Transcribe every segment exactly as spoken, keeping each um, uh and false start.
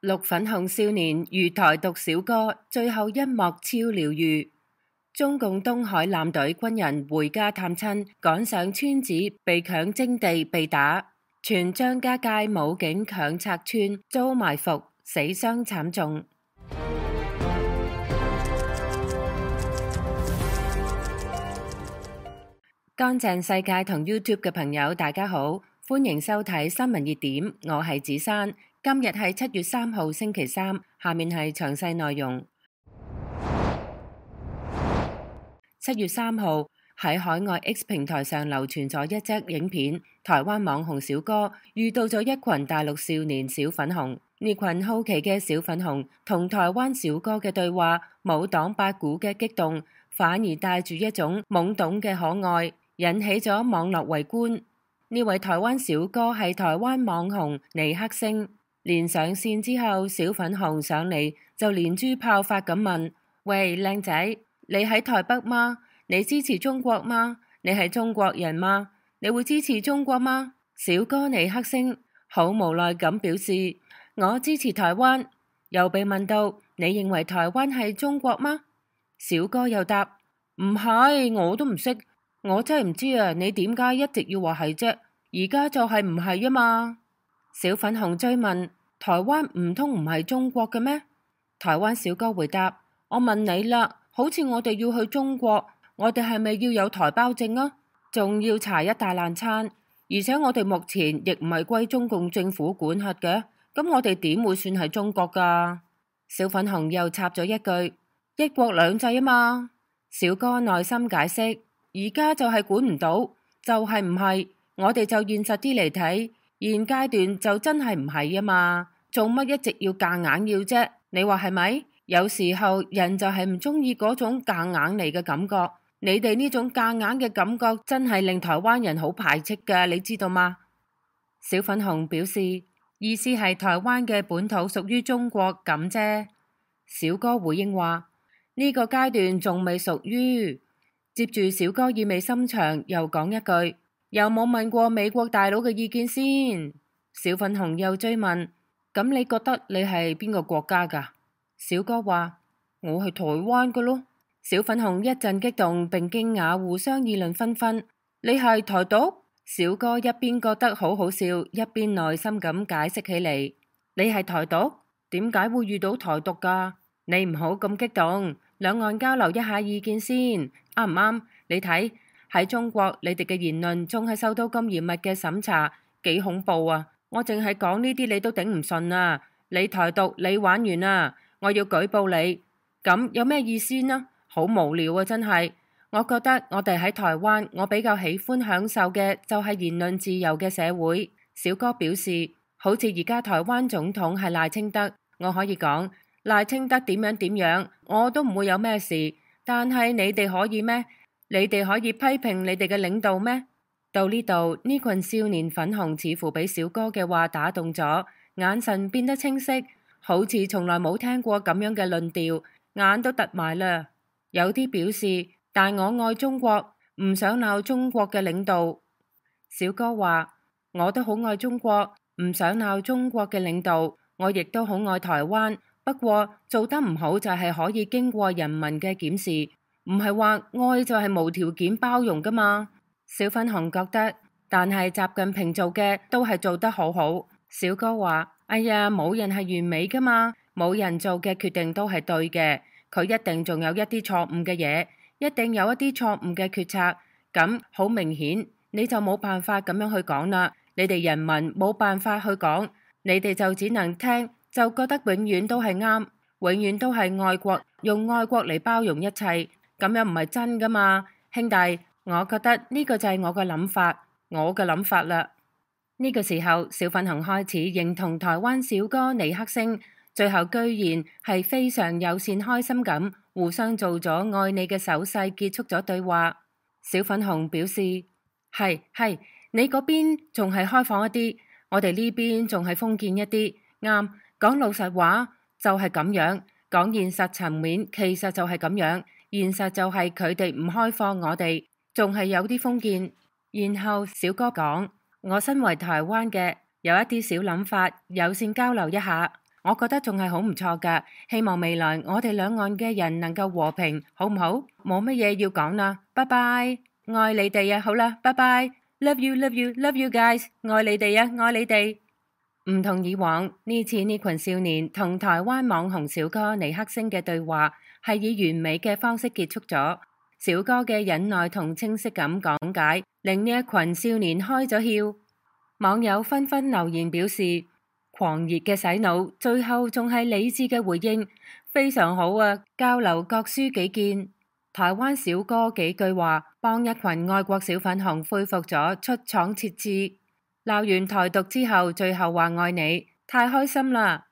綠粉紅少年遇台獨小哥，最後一幕超療愈。中共東海艦隊軍人回家探親，趕上村子被強徵地被打，全張家界武警強拆村，遭埋伏，死傷慘重。乾淨世界同 YouTube 嘅朋友，大家好，歡迎收睇新聞熱點，我係子珊。今日係七月三號星期三，下面係詳細內容。七月三號喺海外 X 平台上流傳咗一則影片，台灣網紅小哥遇到咗一群大陸少年小粉紅。呢群好奇嘅小粉紅同台灣小哥嘅對話，冇黨八股嘅激動，反而帶住一種懵懂嘅可愛，引起咗網絡圍觀。呢位台灣小哥係台灣網紅尼克星，連上線之後，小粉紅上嚟就連珠炮發咁問：喂，靚仔，你喺台北嗎？你支持中國嗎？你係中國人嗎？你會支持中國嗎？小哥尼克星好無奈咁表示：我支持台灣。又被問到：你認為台灣係中國嗎？小哥又答：唔係，我都唔識，我真係唔知啊！你點解一直要話係啫？而家就係唔係啊嘛？小粉紅追問：台灣唔通唔係中國嘅咩？台灣小哥回答：我問你啦，好似我哋要去中國，我哋係咪要有台胞證啊？仲要查一大爛餐，而且我哋目前亦唔係歸中共政府管轄嘅，咁我哋點會算係中國㗎？小粉紅又插咗一句：一國兩制啊嘛。小哥耐心解釋：而家就係管唔到，就係唔係，我哋就現實啲嚟睇，現階段就真係唔係啊嘛，做乜一直要夾硬要啫？你話係咪？有時候人就係唔中意嗰種夾硬嚟嘅感覺，你哋呢種夾硬嘅感覺真係令台灣人好排斥㗎，你知道嗎？小粉紅表示，意思係台灣嘅本土屬於中國咁啫。小哥回應話：呢個階段仲未屬於。接住小哥意味深長又講一句：有冇問過美國大佬嘅意見先？小粉紅又追問：咁你覺得你係邊個國家㗎？小哥話：我係台灣㗎咯。小粉紅一陣激動並驚訝，互相議論紛紛。你係台獨？小哥一邊覺得好好笑，一邊耐心咁解釋起嚟：你係台獨？點解會遇到台獨㗎？你唔好咁激動，兩岸交流一下意見先，啱唔啱？你睇喺中國，你哋嘅言論仲係受到咁嚴密嘅審查，幾恐怖啊！我淨係講呢啲你都頂唔順啊！你台獨，你玩完啊！我要舉報你，咁有咩意思呢？好無聊啊！真係，我覺得我哋喺台灣，我比較喜歡享受嘅就係言論自由嘅社會。小哥表示，好似而家台灣總統係賴清德，我可以講賴清德點樣點樣，我都唔會有咩事。但係你哋可以咩？你哋可以批評你哋嘅領導咩？到呢度，呢群少年粉紅似乎俾小哥嘅話打動咗，眼神變得清晰，好似從來冇聽過咁樣嘅論調，眼都突埋啦。有啲表示，但我愛中國，唔想鬧中國嘅領導。小哥話：我都好愛中國，唔想鬧中國嘅領導。我亦都好愛台灣，不過做得唔好就係可以經過人民嘅檢視，唔係話愛就係無條件包容噶嘛。小粉紅覺得，但係習近平做嘅都係做得好好。小哥話：哎呀，冇人係完美噶嘛，冇人做嘅決定都係對嘅，佢一定仲有一啲錯誤嘅嘢，一定有一啲錯誤嘅決策。咁好明顯，你就冇辦法咁樣去講啦。你哋人民冇辦法去講，你哋就只能聽，就覺得永遠都係啱，永遠都係愛國，用愛國嚟包容一切，咁樣唔係真噶嘛，兄弟。我覺得呢個就係我嘅諗法，我嘅諗法啦。呢個時候，小粉紅開始認同台灣小哥尼克星，最後居然係非常友善開心咁，互相做咗愛你嘅手勢，結束咗對話。小粉紅表示：係係，你嗰邊仲係開放一啲，我哋呢邊仲係封建一啲。啱，講老實話就係咁樣，講現實層面其實就係咁樣，現實就係佢哋唔開放我哋。仲係有啲封建。然後小哥講：我身為台灣嘅，有一啲小諗法，友善交流一下。我覺得仲係好唔錯㗎。希望未來我哋兩岸嘅人能夠和平，好唔好？冇乜嘢要講啦，拜拜，愛你哋啊！好啦，拜拜，love you，love you，love you guys，愛你哋啊，愛你哋。唔同以往，呢次呢群少年同台灣網紅小哥尼克星嘅對話係以完美嘅方式結束咗。小哥嘅忍耐同清晰咁講解，令呢一群少年開咗竅。網友紛紛留言表示，狂熱嘅洗腦，最後仲係理智嘅回應，非常好啊！交流各抒己見。台灣小哥幾句話，幫一群愛國小粉紅恢復咗出廠設置。鬧完台獨之後，最後話愛你，太開心啦！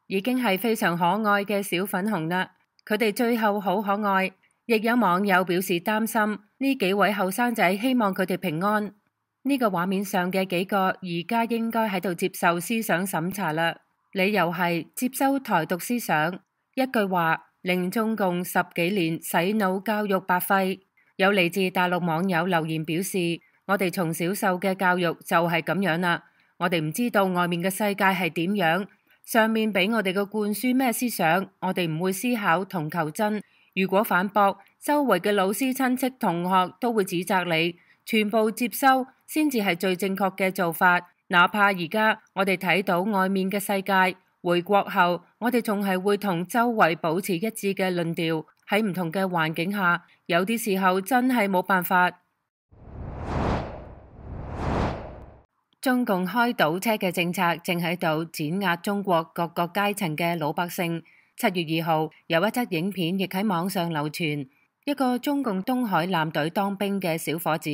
已經係非常可愛嘅小粉紅啦，佢哋最後好可愛。亦有網友表示擔心，呢幾位後生仔希望佢哋平安。呢個畫面上嘅幾個而家應該喺度接受思想審查啦，理由係接收台獨思想，一句話令中共十幾年洗腦教育白費。有嚟自大陸網友留言表示，我哋從小受嘅教育就係咁樣啦，我哋唔知道外面嘅世界係點樣，上面俾我哋嘅灌輸咩思想，我哋唔會思考同求真。如果反駁，周圍嘅老師、親戚、同學都會指責你，全部接收先至係最正確嘅做法。哪怕而家我哋睇到外面嘅世界，回國後我哋仲係會同周圍保持一致嘅論調。喺唔同嘅環境下，有啲時候真係冇辦法。中共開倒車嘅政策正喺度碾壓中國各個階層嘅老百姓。七月二號有一則影片亦喺網上流傳，一個中共東海艦隊當兵嘅小伙子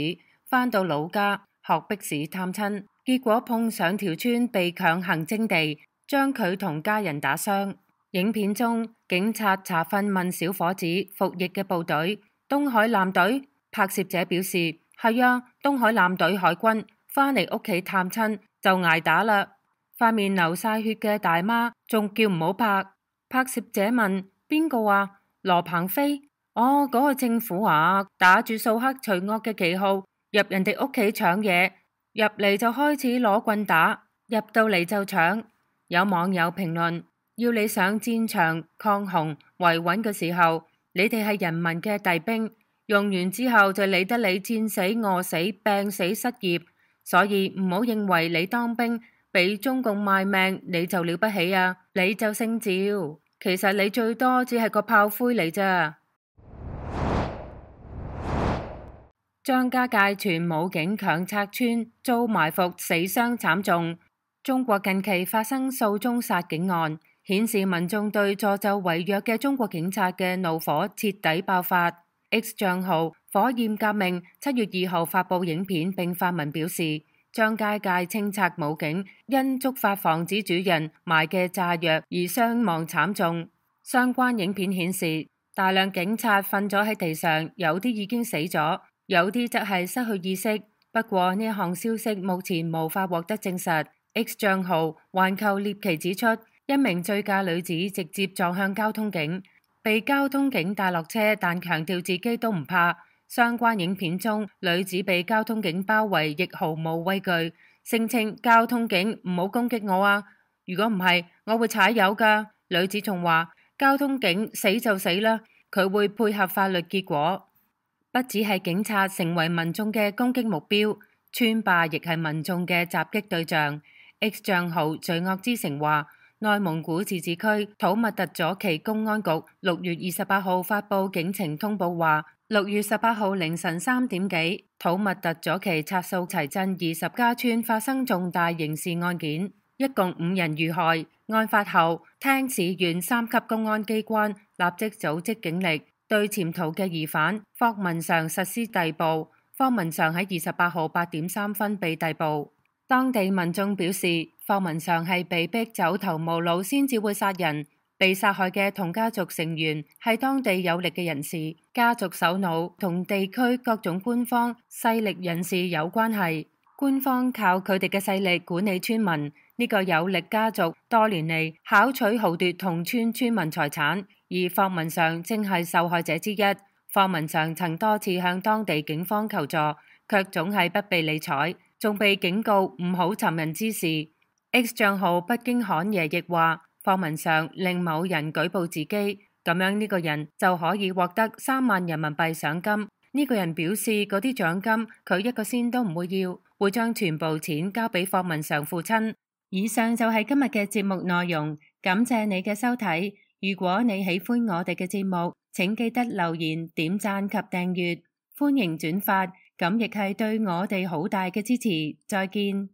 返到老家學迫使探親，結果碰上條村被強行徵地，將佢同家人打傷。影片中警察查詢問小伙子服役嘅部隊，東海艦隊。拍攝者表示係啊，東海艦隊海軍。返嚟屋企探親就捱打啦，塊面流晒血嘅大媽仲叫唔好拍。拍攝者問邊個啊？羅鵬飛？哦，嗰個政府啊，打住掃黑除惡嘅旗號入人哋屋企搶嘢，入嚟就開始攞棍打，入到嚟就搶。有網友評論：要你上戰場抗洪維穩嘅時候，你哋係人民嘅弟兵，用完之後就理得你戰死餓死病死失業。所以唔好認為你當兵俾中共賣命你就了不起啊，你就姓趙，其實你最多只係個炮灰嚟咋。張家界全武警強拆村遭埋伏死傷慘重。中國近期發生數宗殺警案，顯示民眾對助紂為虐嘅中國警察嘅怒火徹底爆發。X 賬號火焰革命七月二號發佈影片並發文表示，張家界清拆武警因觸發防止主人埋嘅炸藥而傷亡慘重。相關影片顯示，大量警察瞓咗喺地上，有啲已經死咗，有啲則係失去意識。不過呢項消息目前無法獲得證實。X 賬號環球獵奇指出，一名醉駕女子直接撞向交通警，被交通警帶落車，但強調自己都唔怕。相關影片中，女子被交通警包圍，亦毫無畏懼，聲稱交通警唔好攻擊我啊！如果唔係，我會踩油噶。女子仲話交通警死就死啦，佢會配合法律結果。不只係警察成為民眾嘅攻擊目標，村霸亦係民眾嘅襲擊對象。X 賬號罪惡之城話，內蒙古自治區土默特左旗公安局六月二十八號發佈警情通報話，六月十八號凌晨三點幾，土默特左旗插數齊鎮二十家村發生重大刑事案件，一共五人遇害。案發後，聽市縣三級公安機關立即組織警力，對潛逃嘅疑犯霍文常實施逮捕。霍文常喺二十八號八點三分被逮捕。當地民眾表示，霍文常係被逼走投無路先至會殺人。被殺害嘅同家族成員係當地有力嘅人士，家族首腦同地區各種官方勢力人士有關係。官方靠佢哋嘅勢力管理村民。呢個有力家族多年嚟巧取豪奪同村村民財產，而霍文常正係受害者之一。霍文常曾多次向當地警方求助，卻總係不被理睬，仲被警告唔好尋人之事。X 賬號北京侃爺亦話，課文上令某人舉報自己，咁樣呢個人就可以獲得三萬人民幣賞金。呢個人表示嗰啲獎金佢一個仙都唔會要，會將全部錢交俾課文上父親。以上就係今日嘅節目內容，感謝你嘅收睇。如果你喜歡我哋嘅節目，請記得留言、點讚及訂閱，歡迎轉發，咁亦係對我哋好大嘅支持。再見。